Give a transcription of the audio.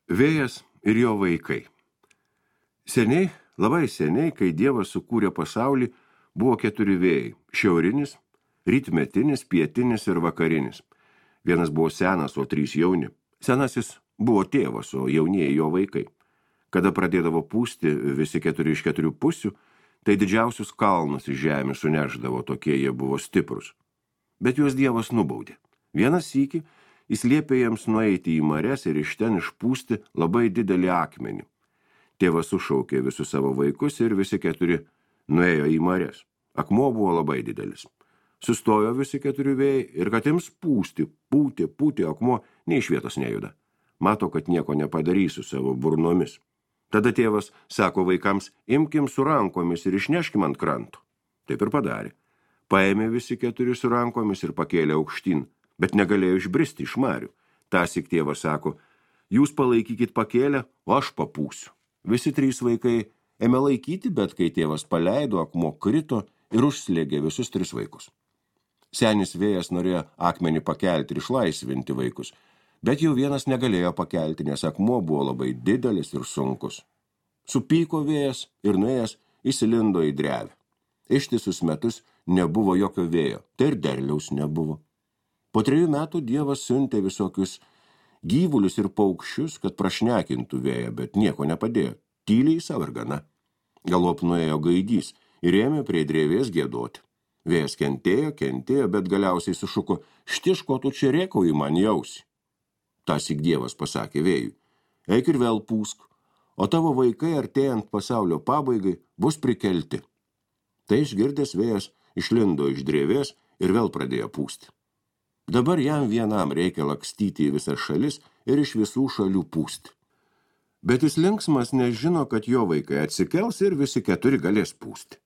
Vėjas ir jo vaikai. Seniai, labai seniai, kai Dievas sukūrė pasaulį, buvo 4 vėjai – šiaurinis, rytmetinis, pietinis ir vakarinis. Vienas buvo senas, o 3 jauni. Senasis buvo tėvas, o jaunieji jo vaikai. Kada pradėdavo pūsti visi 4 iš 4 pusių, tai didžiausius kalnus iš žemės suneždavo, tokie jie buvo stiprus. Bet juos Dievas nubaudė. Vienas sykį jis liepė jiems nueiti į marias ir iš ten išpūsti labai didelį akmenį. Tėvas sušaukė visus savo vaikus ir visi 4 nuėjo į marias. Akmuo buvo labai didelis. Sustojo visi 4 vėjai ir kad jiems pūsti, pūtė, akmuo nei iš vietos nejuda. Mato, kad nieko nepadarysiu savo burnomis. Tada tėvas sako vaikams, imkim su rankomis ir išneškim ant kranto. Taip ir padarė. Paėmė visi 4 su rankomis ir pakėlė aukštyn, bet negalėjo išbristi iš marių. Tąsyk tėvas sako, jūs palaikykit pakėlę, o aš papūsiu. Visi 3 vaikai ėmė laikyti, bet kai tėvas paleido, akmuo krito ir užslėgė visus 3 vaikus. Senis vėjas norėjo akmenį pakelti ir išlaisvinti vaikus, bet jau vienas negalėjo pakelti, nes akmuo buvo labai didelis ir sunkus. Supyko vėjas ir nuėjęs įsilindo į drevę. Ištisus metus nebuvo jokio vėjo, tai ir derliaus nebuvo. Po 3 metų Dievas siuntė visokius gyvulius ir paukščius, kad prašnekintų vėją, bet nieko nepadėjo. Tyliai savo ir gana. Galop nuėjo gaidys ir ėmė prie drevės giedoti. Vėjas kentėjo, bet galiausiai sušuko, štiško tu čia rėkauji man į ausį. Tąsyk Dievas pasakė vėjui, eik ir vėl pūsk, o tavo vaikai artėjant pasaulio pabaigai bus prikelti. Tai išgirdęs vėjas išlindo iš drevės ir vėl pradėjo pūsti. Dabar jam vienam reikia lakstyti į visas šalis ir iš visų šalių pūsti. Bet jis linksmas, nes žino, kad jo vaikai atsikels ir visi 4 galės pūsti.